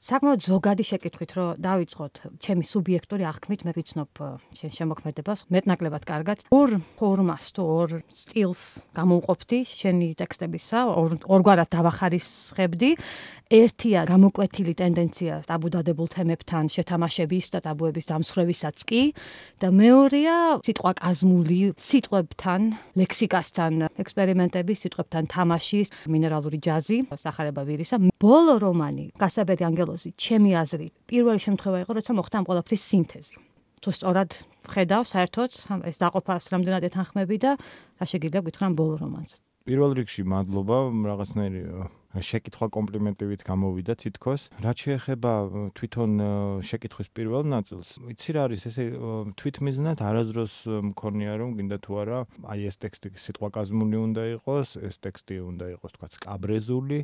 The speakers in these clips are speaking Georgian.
საკმაოდ ზოგადი შეკითხვით რომ დავიწყოთ ჩემი სუბიექტური აღქმით მე ვიცნობ შენ შემოქმედებას მეტნაკლებად კარგად ორ ფორმას თუ ორ სტილს გამოვყოფდი შენი ტექსტებისა ორგვარად დავახარისხებდი ერთია გამოკვეთილი ტენდენცია ტაბუდადებულ თემებთან შეთამაშების და ტაბუების დამსხვრევისაც კი და მეორეა სიტყვაკაზმული სიტყვებთან ლექსიკასთან ექსპერიმენტები სიტყვებთან თამაშის მინერალური ჯაზი სახარება ვირისა ბოლო რომანი გასაბერი ანგელოზი ჩემი აზრით პირველი შემთხვევა იყო როცა მოხდა ამ ყველაფრის სინთეზი თუ სწორად ხედავ საერთოდ ეს დაყოფას რამდენად ეთანხმები და რა შეგიძლია გითხრა ბოლო რომანზე პირველ რიგში მადლობა რაღაცნაირი შეკითხვა კომპლიმენტივით გამოვიდა თითქოს რაც შეეხება თვითონ შეკითხვის პირველ ნაწილს იცი რა არის ესე თვითმიზნად არასდროს მქონია რომ გინდა თუ არა აი ეს ტექსტი სიტყვაკაზმული უნდა იყოს ეს ტექსტი უნდა იყოს თქვა სკაბრეზული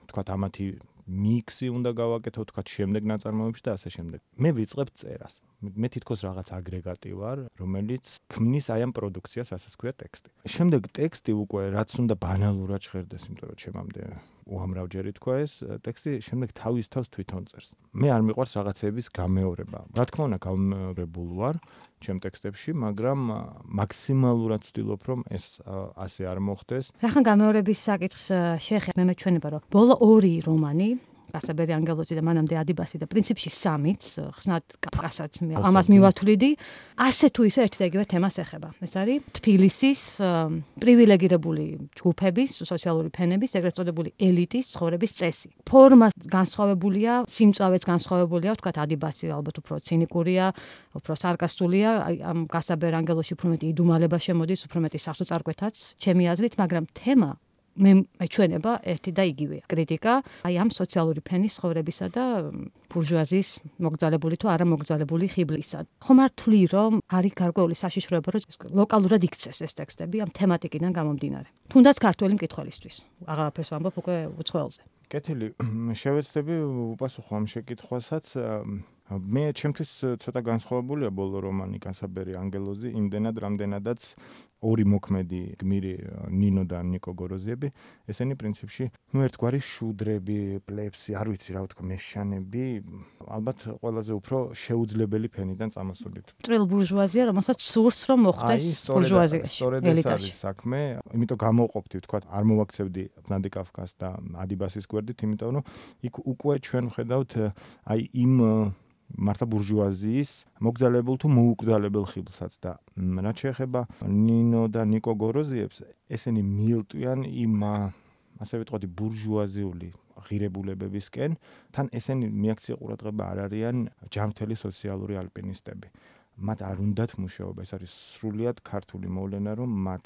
თქვა ამათი მიქსი უნდა გავაკეთო თქვა შემდეგ ნაწარმოებში და ასე შემდეგ მე ვიწყებ წერას მე თითქოს რაღაც აგრეგატი ვარ რომელიც ქმნის აი ამ პროდუქციას რასაც ქვია ტექსტი შემდეგ ტექსტი უკვე რაც უნდა ბანალურად ჟღერდეს იმიტომ რომ ჩემამდე უამრავჯერი თქვა ეს ტექსტი შემდეგ თავის თავს თვითონ წერს მე არ მიყვარს რაღაცების გამეორება რა თქმა უნდა გამეორებულ ვარ ჩემ ტექსტებში მაგრამ მაქსიმალურად ვცდილობ რომ ეს ასე არ მოხდეს რახან გამეორების საკითხს შეეხება მე მეჩვენება რომ ბოლო ორი რომანი გასაბერი ანგელოზი და მანამდე ადიბასი და პრინციპში სამიც ხსნად კაფკასაც ამათ მივათვლიდი ასე თუ ისე ერთი და იგივე თემას ეხება ეს არის თბილისის პრივილეგირებული ჯგუფების სოციალური ფენების ეგრეთ წოდებული ელიტის ცხოვრების წესი ფორმა განსხვავებულია სიმწავეც განსხვავებულია ვთქვათ ადიბასი ალბათ უფრო ცინიკურია უფრო სარკასტულია ამ გასაბერ ანგელოზში უფრო მეტი იდუმალება შემოდის უფრო მეტი სასოწარკვეთაც ჩემი აზრით მაგრამ თემა მე მეჩვენება ერთი და იგივეა კრიტიკა აი ამ სოციალური ფენის ცხოვრებისა და ბურჟუაზიის მოგზალებული თუ არა მოგზალებული ხიბლისა ხომ არ თვლი რომ არის გარკვეული საშიშროება რომ ლოკალურად იქცეს ეს ტექსტები ამ თემატიკიდან გამომდინარე თუნდაც ქართველი მკითხველისთვის აღარაფერს ვამბობ უკვე უცხოელზე კეთილი შევეცდები უპასუხო ამ შეკითხვასაც მე ჩემთვის ცოტა განსხვავებულია ბოლო რომანი გასაბერი ანგელოზი იმდენად რამდენადაც ორი მოქმედი გმირი ნინო და ნიკო გოროზიები ესენი პრინციპში ერთგვარი შუდრები პლევსი არ ვიცი რა ვთქვა მეშანები ალბათ ყველაზე უფრო შეუძლებელი ფენიდან წამოსულით ტრილ ბურჟუაზია რომელსაც სურს რომ მოხდეს ბურჟუაზიაში სწორედ ეს არის საქმე იმიტომ გამოვყოფდი ვთქვა არ მოვაქცევდი ნადიკავკას და ადიბასის გვერდით იმიტომ რომ იქ უკვე ჩვენ ვხედავთ აი იმ მართლა ბურჟუაზიის მოგზალებულ თუ მოუკრძალებელ ხიბლსაც და რაც შეეხება ნინო და ნიკო გოროზიებს ესენი მიილტვიან იმ ასე ვიტყოდი ბურჟუაზიული ღირებულებებისკენ თან ესენი მიაქცია ყურადღება არ არიან ჯანმრთელი სოციალური ალპინისტები მათ არ უნდათ მუშაობა ეს არის სრულიად ქართული მოვლენა რომ მათ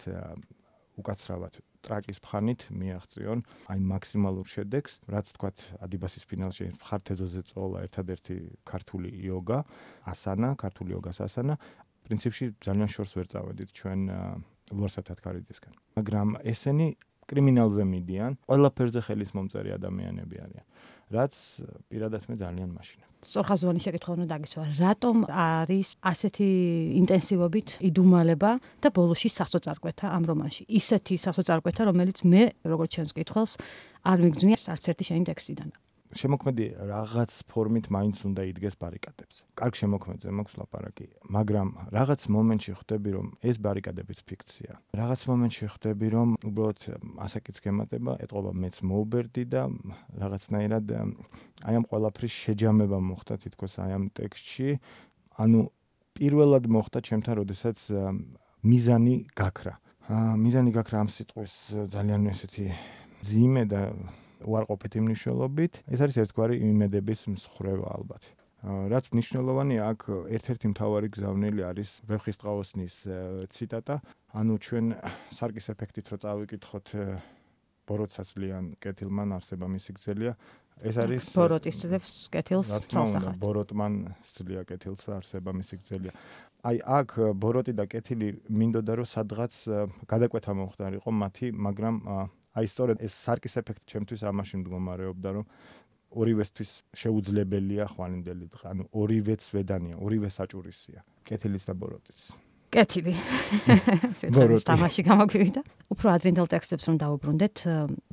უკაცრავად ტრაკის ფხანით მიაღწიონ აი მაქსიმალურ შედეგს რაც თქვათ ადიბასის ფინალში ხართეზოზე წოლა ერთადერთი ქართული იოგა ასანა ქართული იოგას ასანა პრინციპში ძალიან შორს ვერ წავედით ჩვენ ლუარსაბ თათქარიძისგან მაგრამ ესენი კრიმინალზე მიდიან ყველაფერზე ხელის მომწერი ადამიანები არიან რაც პირადად მე ძალიან მაშინებ სწორხაზოვანი შეკითხვა უნდა დაგისვა რატომ არის ასეთი ინტენსივობით იდუმალება და ბოლოში სასოწარკვეთა ამ რომანში ისეთი სასოწარკვეთა რომელიც მე როგორც ჩემს კითხველს არ მიგძნია არც ერთი შენი ტექსტიდან შემოქმედი რაღაც ფორმით მაინც უნდა იდგეს ბარიკადებზე. კარგ შემოქმედზე მაქვს ლაპარაკი, მაგრამ რაღაც მომენტში ხვდები რომ ეს ბარიკადებიც ფიქცია. რაღაც მომენტში ხვდები რომ უბრალოდ ასაკიც გემატება, ეთყობა მეც მოუბერდი და რაღაცნაირად აი ამ ყველაფრის შეჯამება მოხდა თითქოს აი ამ ტექსტში. ანუ პირველად მოხდა ჩემთან, როდესაც მიზანი გაქრა. მიზანი გაქრა ამ სიტყვის ძალიან ესეთი ძიმე და უარყოფითი მნიშვნელობით. ეს არის ერთგვარი იმედების მსხრევა ალბათ. რაც მნიშვნელოვანია, აქ ერთ-ერთი მთავარი გზავნილი არის ვეფხისტყაოსნის ციტატა. ანუ ჩვენ სარკის ეფექტით რო წავიკითხოთ ბოროტსაცლიან კეთილმან არსება მისი გზელია. ეს არის ბოროტის ძებს კეთილს ცალსახად. ბოროტმან სძლია კეთილს არსება მისი გზელია. აი აქ ბოროტი და კეთილი მინდოდა რომ სადღაც გადაკვეთა მომხდარიყო მათი, მაგრამ აი სწორედ ეს სარკის ეფექტი ჩემთვის ამაში მდგომარეობდა, რომ ორივესთვის შეუძლებელია ხვალინდელი დღე, ანუ ორივეც ვედანია, ორივე საჭურისია, კეთილიც და ბოროტიც. კეთილი. ეს თამაში გამოგვივიდა. უფრო ადრინდელ ტექსტებს რომ დავუბრუნდეთ,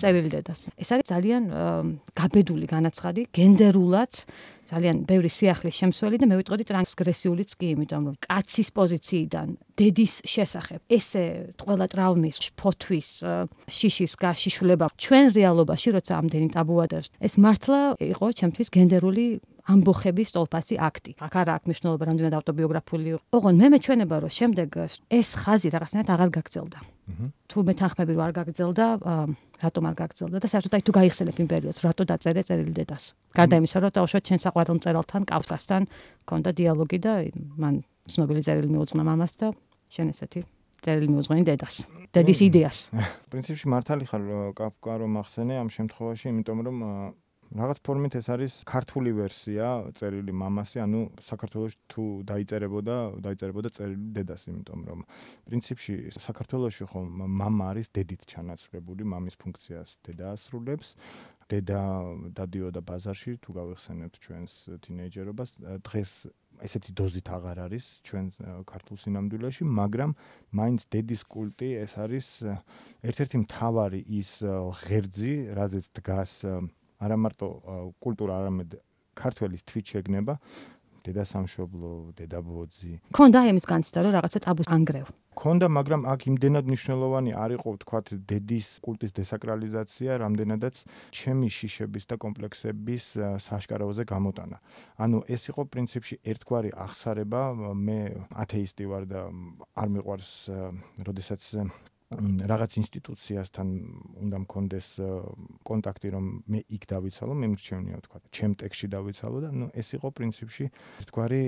წერილი დედას. ეს არის ძალიან გაბედული განაცხადი, გენდერულად ძალიან ბევრი სიახლის შემცველი და მე ვიტყოდი ტრანსგრესიულიც კი, იმიტომ რომ კაცის პოზიციიდან დედის შესახებ ესე ყველა ტრავმის, ფოთვის, შიშის გაშიშვლება ჩვენ რეალობაში როცა ამდენი ტაბუა და ეს მართლა იყო ჩემთვის გენდერული ამბოხების ტოლფასი აქტი. აქ არა აქვს მნიშვნელობა რამდენად ავტობიოგრაფიული იყო. ოღონდ მე მეჩვენება რომ შემდეგ ეს ხაზი რაღაცნაირად აღარ გაგრძელდა. თუ მეთანხმები რომ არ გაგრძელდა, რატომ არ გაგრძელდა და საერთოდ თუ გაიხსენებ იმ პერიოდს, რატო დაწერე წერილი დედას. გარდა იმისა, რომ თავშოთ ჩემს საყვარელ მწერალთან, კავკასთან მქონდა დიალოგი და მან ცნობილი წერილი მიუძღვნა მამას და შენ ესეთი წერილი მიუძღვენი დედას. დედის იდეას. პრინციპში მართალი ხარ კაფკა რომ ახსენე ამ შემთხვევაში, იმიტომ რომ რაღაც ფორმით ეს არის ქართული ვერსია წერილი მამასი, ანუ საქართველოში თუ დაიწერებოდა წერილი დედას, იმიტომ რომ პრინციპში საქართველოში ხომ მამა არის დედით ჩანაცვლებული, მამის ფუნქციას დედა ასრულებს. დედა დადიოდა ბაზარში, თუ გავიხსენებთ ჩვენს თინეიჯერობას, დღეს ესეთი დოზით აღარ არის ჩვენ ქართულ სინამდვილეში, მაგრამ მაინც დედის კულტი ეს არის ერთ-ერთი მთავარი ის ღერძი, რაზეც დგას არა მარტო კულტურა, არამედ ქართველის თვით შეგნება, დედა სამშობლო, დედა ბოძი. ქონდა იმის განცდა, რომ რაღაცა ტაბუს ანგრევ. ქონდა, მაგრამ აქ იმდენად მნიშვნელოვანი არ იყო, ვთქვათ, დედის კულტის დესაკრალიზაცია, რამდენადაც ჩემი შიშების და კომპლექსების საშკარავზე გამოტანა. ანუ ეს იყო პრინციპში ერთგვარი აღსარება, მე ათეისტი ვარ და არ მიყვარს, როდესაც რაღაც ინსტიტუციასთან უნდა მქონდეს კონტაქტი, რომ მე იქ დავიცალო, მე მრჩევნია ვთქვა, ჩემ ტექსტში დავიცალო და ეს იყო პრინციპში ერთგვარი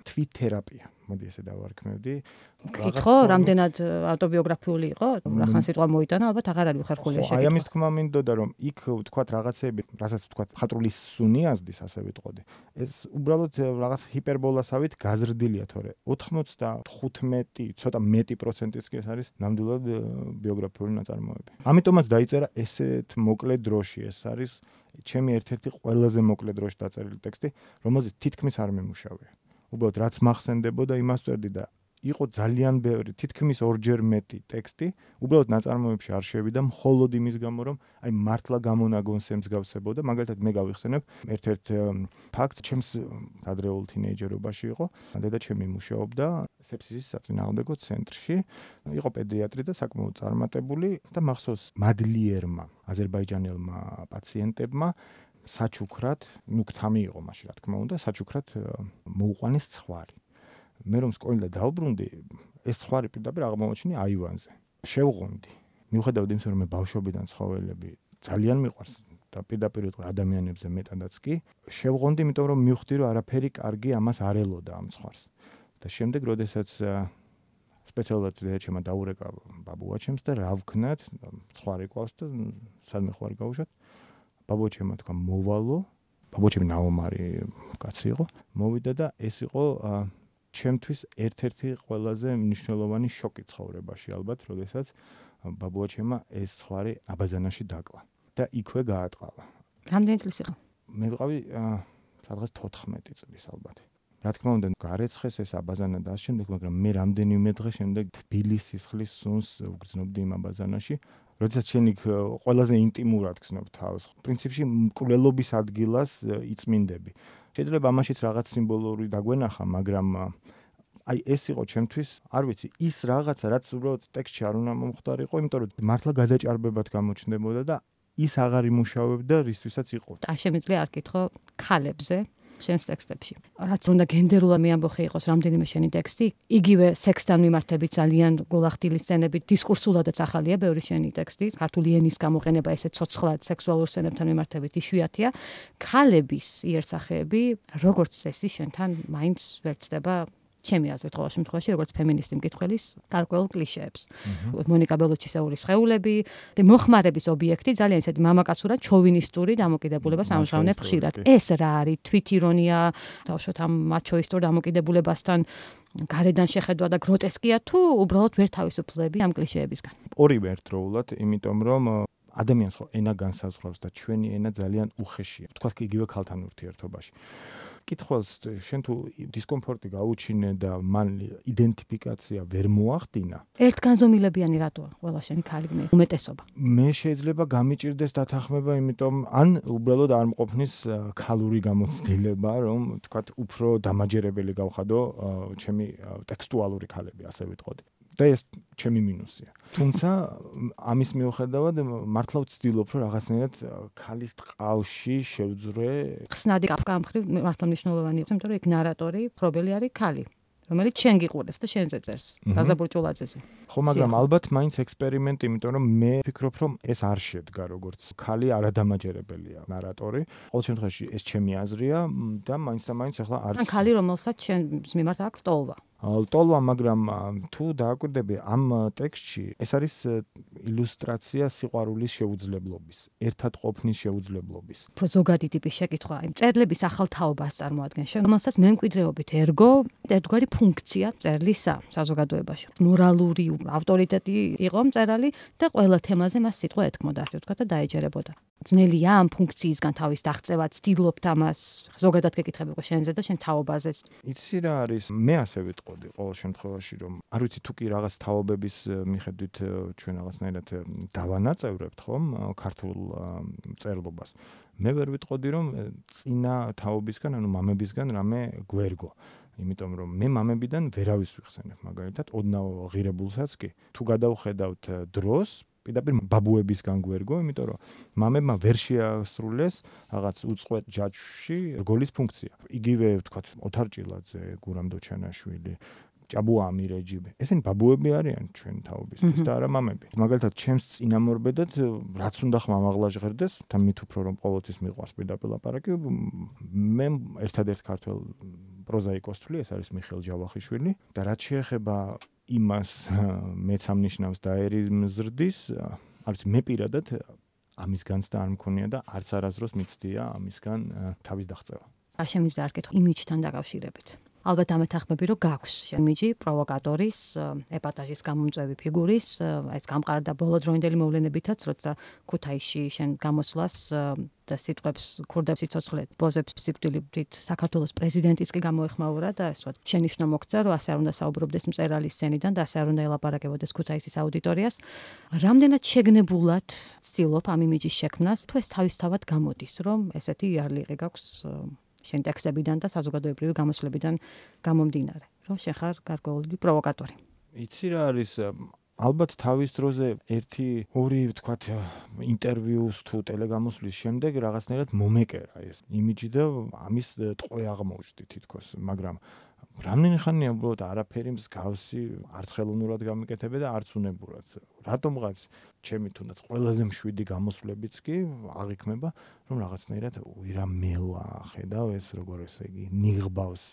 თვით თერაპია. მოდი ესე დავარქმევდი. ხო, რამდენად ავტობიოგრაფიული იყო, რახან სიტყვა მოიტანა, ალბათ აღარ არის ხერხულია შეკითხვა. აი ამის თქმა მინდოდა, რომ იქ ვთქვათ რაღაცეები, რასაც ვთქვათ, ხატრული სუნი აზდის, ასე ვიტყოდი. ეს უბრალოდ რაღაც ჰიპერბოლასავით გაზრდილია, თორე 95, ცოტა მეტი პროცენტიც კი ეს არის ნამდვილად ბიოგრაფიული ნაწარმოები. ამიტომაც დაიწერა ესეთ მოკლე დროში, ეს არის ჩემი ერთ-ერთი ყველაზე მოკლე დროში დაწერილი ტექსტი, რომელზეც თითქმის არ მემუშავე. უბრალოდ რაც მახსენდებოდა, იმას წერდი და იყო ძალიან ბევრი, თითქმის ორჯერ მეტი ტექსტი, უბრალოდ ნაწარმოებში არ შევიდა, მხოლოდ იმის გამო, რომ აი მართლა გამონაგონს ემსგავსებოდა. მაგალითად, მე გავიხსენებ ერთ-ერთ ფაქტს, ჩემს ადრეულ თინეიჯერობაში იყო, დედაჩემი მუშაობდა სეფსისის საწინააღმდეგო ცენტრში, იყო პედიატრი და საკმაოდ წარმატებული და მახსოვს მადლიერმა აზერბაიჯანელმა პაციენტებმა საჩუქრად, გთამი იყო მაშინ, რა თქმა უნდა, საჩუქრად მოუყვანეს ცხვარი. მე რომ სკოლიდან დავბრუნდი, ეს ცხვარი პირდაპირ აღმოაჩინე აივანზე. შევღონდი. მიუხედავად იმისა, რომ მე ბავშვობიდან ცხოველები ძალიან მიყვარს და პირდაპირ ვიტყვი ადამიანებზე მეტადაც კი, შევღონდი, იმიტომ რომ მივხვდი, რომ არაფერი კარგი ამას არ ელოდა ამ ცხვარს. და შემდეგ, როდესაც სპეციალურად დედაჩემმა დაურეკა ბაბუაჩემს და რა ვქნათ, ცხვარი ყავს და სადმე ხوار გავუშვათ. ბაბუაჩემმა თქვა მოვალო, ბაბუაჩემი ნაომარი კაცი იყო, მოვიდა და ეს იყო ჩემთვის ერთ-ერთი ყველაზე მნიშვნელოვანი შოკი ცხოვრებაში, ალბათ, როდესაც ბაბუაჩემმა ეს ცხვარი აბაზანაში დაკლა და იქვე გაატყალა. რამდენი წლის იყო? მე ვიყავი სადღაც 14 წლის ალბათ. რა თქმა უნდა, გარეცხეს ეს აბაზანა და ამ შემდეგ, მაგრამ მე რამდენიმე დღე შემდეგ თბილისის სისხლის სუნს ვგრძნობდი იმ აბაზანაში. როდესაც შენ იქ ყველაზე ინტიმურად გრძნობ თავს, პრინციპში მკვლელობის ადგილას იწმინდები. შეიძლება ამაშიც რაღაც სიმბოლური დაგვენახა, მაგრამ აი ეს იყო ჩემთვის, არ ვიცი, ის რაღაცა, რაც უბრალოდ ტექსტში არ უნდა მომხდარიყო, იმიტომ რომ მართლა გადაჭარბებად გამოჩნდებოდა და ის აღარ იმუშავებდა, რისთვისაც იყო. არ შემიძლია არ კითხო ქალებზე შენს ტექსტებში. რაც უნდა გენდერულად მეამბოხი იყოს რამდენიმე შენი ტექსტი, იგივე სექსთან მიმართებით ძალიან გულახდილი სცენებით, დისკურსულადაც ახალია ბევრი შენი ტექსტი, ქართული ენის გამოყენება ესე ცოცხლად სექსუალურ სცენებთან მიმართებით იშვიათია. ქალების იერსახეები, როგორც წესი, შენთან მაინც ვერ ცდება ჩემი აზრით ყოველ შემთხვევაში, როგორც ფემინისტი მკითხველის გარკვეულ კლიშეებს. მონიკა ბელუჩისეულის სხეულები და მოხმარების ობიექტი ძალიან ისეთი მამაკაცურად ჩოვინისტური დამოკიდებულებას ამჟღავნებ ხშირად. ეს რა არის? თვითირონია, თავშოთ ამ მაჩოისტურ დამოკიდებულებასთან გარედან შეხედვა და გროტესკია თუ უბრალოდ ვერ თავისუფლები ამ კლიშეებისგან? ორივე ერთდროულად, იმიტომ რომ ადამიანს ხო ენა განსაზღვრავს და ჩვენი ენა ძალიან უხეშია. თქვათ კი იგივე ქალთან ურთიერთობაში. კითხველს შენ თუ დისკომფორტი გაუჩინე და მან იდენტიფიკაცია ვერ მოახდინა. ერთგანზომილებიანი რატოა ყველა შენი ქალი უმეტესობა? მე შეიძლება გამიჭირდეს დათანხმება, იმიტომ ან უბრალოდ არ მყოფნის ქალური გამოცდილება, რომ თქვათ უფრო დამაჯერებელი გავხადო ჩემი ტექსტუალური ქალები, ასე ვიტყოდი. და ეს ჩემი მინუსია. თუმცა ამის მიუხედავად მართლა ვცდილობ, რომ რაღაცნაირად ქალის ტყავში შევძვრე. ხსნადი კაფკამხრივ მართლა მნიშვნელოვანი იყო, იმიტომ რომ იქ ნარატორი, პრობელი არის ქალი, რომელიც შენ გიყურებს და შენზე წერს. დაზა ბურჭულაძეზე. ხო, მაგრამ ალბათ მაინც ექსპერიმენტი, იმიტომ რომ მე ვფიქრობ, რომ ეს არ შედგა როგორც ქალი არადამაჯერებელია ნარატორი. ყოველ შემთხვევაში ეს ჩემი აზრია და მაინც და მაინც ახლა არც ან ქალი, რომელსაც შენ მიმართ აქვს ტოლვა. ტოლვა, მაგრამ თუ დააკვირდები ამ ტექსტში, ეს არის ილუსტრაცია სიყვარულის შეუძლებლობის, ერთად ყოფნის შეუძლებლობის. უფრო ზოგადი ტიპის შეკითხვა, იმ წერლების ახალ თაობას წარმოადგენს, რომელსაც მემკვიდრეობით ერგო ერთგვარი ფუნქცია წერლისა საზოგადოებაში. მორალური ავტორიტეტი იყო მწერალი და ყველა თემაზე მას სიტყვა ეთქმოდა, ასე ვთქვათ და დაეჯერებოდა. ძნელია ამ ფუნქციისგან თავის დაღწევა, ცდილობთ ამას, ზოგადად გეკითხები უკვე შენზე და შენ თაობაზე. იცი რა არის? მე ასე ვიტყოდი ყოველ შემთხვევაში, რომ არ ვიცი თუ კი რაღაც თაობების მიხედვით ჩვენ რაღაცნაირად დავანაწევრებთ, ხომ, ქართულ წერლობას. მე ვერ ვიტყოდი, რომ წინა თაობისგან, ანუ მამებისგან რამე გვერგო. იმიტომ რომ მე მამებიდან ვერავის ვიხსენებ, მაგალითად, ოდნავ ღირებულსაც კი. თუ გადავხედავთ დროს პირდაპირ ბაბუებისგან გვერგო, იმიტომ რომ მამებმა ვერ შეასრულეს რაღაც უწყვეტ ჯაჭვში რგოლის ფუნქცია. იგივე ვთქვათ, ოთარ ჭილაძე, გურამ დოჩანაშვილი, ჭაბუა ამირეჯიბე. ესენი ბაბუები არიან ჩვენ თაობისთვის და არა მამები. მაგალითად, ჩემს წინამორბედად რაც უნდა ხმამაღლა ჟღერდეს, თან მით უფრო რომ ყოველთვის მიყვარს პირდაპირ ლაპარაკი, მე ერთადერთ ქართველ პროზაიკოს თვლი, ეს არის მიხეილ ჯავახიშვილი და რაც შეეხება იმას მეც ამნიშნავს და ერიმზრდის, არც მე პირადად ამისგანც და არ მქონია და არც არასდროს მიცდია ამისგან თავის დაღწევა. არ შემიძლია არ კითხო იმიჯთან დაკავშირებით. ალბათ ამეთანხმები, რომ გაქვს იმიჯი პროვოკატორის, ეპატაჟის გამომწვევი ფიგურის, ეს გამყარდა ბოლოდროინდელი მოვლენებითაც, როცა ქუთაისში შენ გამოსვლას და სიტყვებს ქურდებს სიცოცხლე ბოზებს სიკვდილით საქართველოს პრეზიდენტიც კი გამოეხმაურა და ეს ვთქვათ შენიშვნა მოგცა, რომ ასე არ უნდა საუბრობდეს მწერალის სცენიდან და ასე არ უნდა ელაპარაკებოდეს ქუთაისის აუდიტორიას. რამდენად შეგნებულად ცდილობ ამ იმიჯის შექმნას, თუ ეს თავისთავად გამოდის, რომ ესეთი იარლიყი გაქვს შენ ტექსტებიდან და საზოგადოებრივი გამოსვლებიდან გამომდინარე, რომ შენ ხარ გარკვეული პროვოკატორი. იცი რა არის? ალბათ თავის დროზე 1-2 ვთქვათ ინტერვიუს თუ ტელეგამოსვლის შემდეგ რაღაცნაირად მომეკერა ეს იმიჯი და ამის ტყვე აღმოჩნდი თითქოს, მაგრამ რამდენი ხანია უბრალოდ არაფერი მსგავსი არც ხელოვნურად გამიკეთებე და არც უნებურად. რატომღაც ჩემი თუნდაც ყველაზე მშვიდი გამოსვლებიც კი აღიქმება, რომ რაღაცნაირად უირამელა ხედავ ეს როგორ ესე იგი ნიღბავს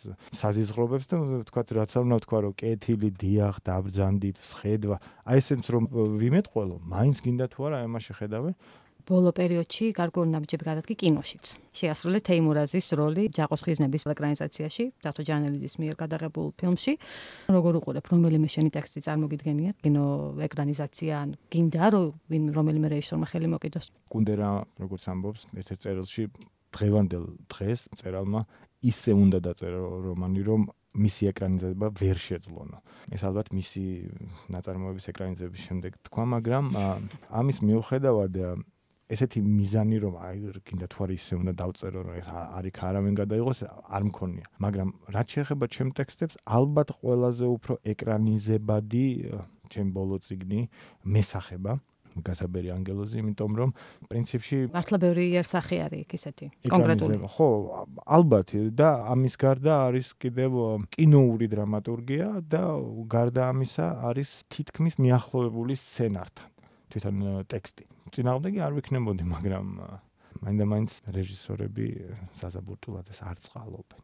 საზიზღრობებს და ვთქვათ რაც არ უნდა ვთქვა რომ კეთილი დიახ დაბრძანდით სხედვა. აი ესეც რომ ვიმეთყველო, მაინც გინდა თუ არა ამას შეხედავე. ბოლო პერიოდში გარკვეული ნაბიჯები გადადგა კინოშიც. შეასრულე თეიმურაზის როლი ჯაყოს ხიზნების ეკრანიზაციაში, დათო ჯანელიძის მიერ გადაღებულ ფილმში. როგორ უყურებ, რომელიმე შენი ტექსტი წარმოგიდგენია კინო ეკრანიზაცია, ან გინდა რომ რომელიმე რეჟისორმა ხელი მოკიდოს? კუნდერა როგორც ამბობს, ერთ-ერთ წერილში დღევანდელ დღეს მწერალმა ისე უნდა დაწერა რომანი, რომ მისი ეკრანიზება ვერ შეძლონა. ეს ალბათ მისი ნაწარმოების ეკრანიზების შემდეგ თქვა, მაგრამ ამის მიუხედავად ესეთი მიზანი რომ აი გინდა თუ არა ისე უნდა დავწერო რომ ეს არიქ არავინ გადაიღოს არ მქონია, მაგრამ რაც შეეხება ჩემ ტექსტებს, ალბათ ყველაზე უფრო ეკრანიზებადი ჩემ ბოლო წიგნი მესახება გასაბერი ანგელოზი, იმიტომ რომ პრინციპში მართლა ბევრი იერსახე არის იქ ისეთი კონკრეტული. ხო, ალბათ და ამის გარდა არის კიდევ კინოური დრამატურგია და გარდა ამისა არის თითქმის მიახლოვებული სცენართან თვითონ ტექსტი. წინააღმდეგი არ ვიქნებოდი, მაგრამ მაინდა-მაინც რეჟისორები საზაბურტულაძეს არ წყალობენ.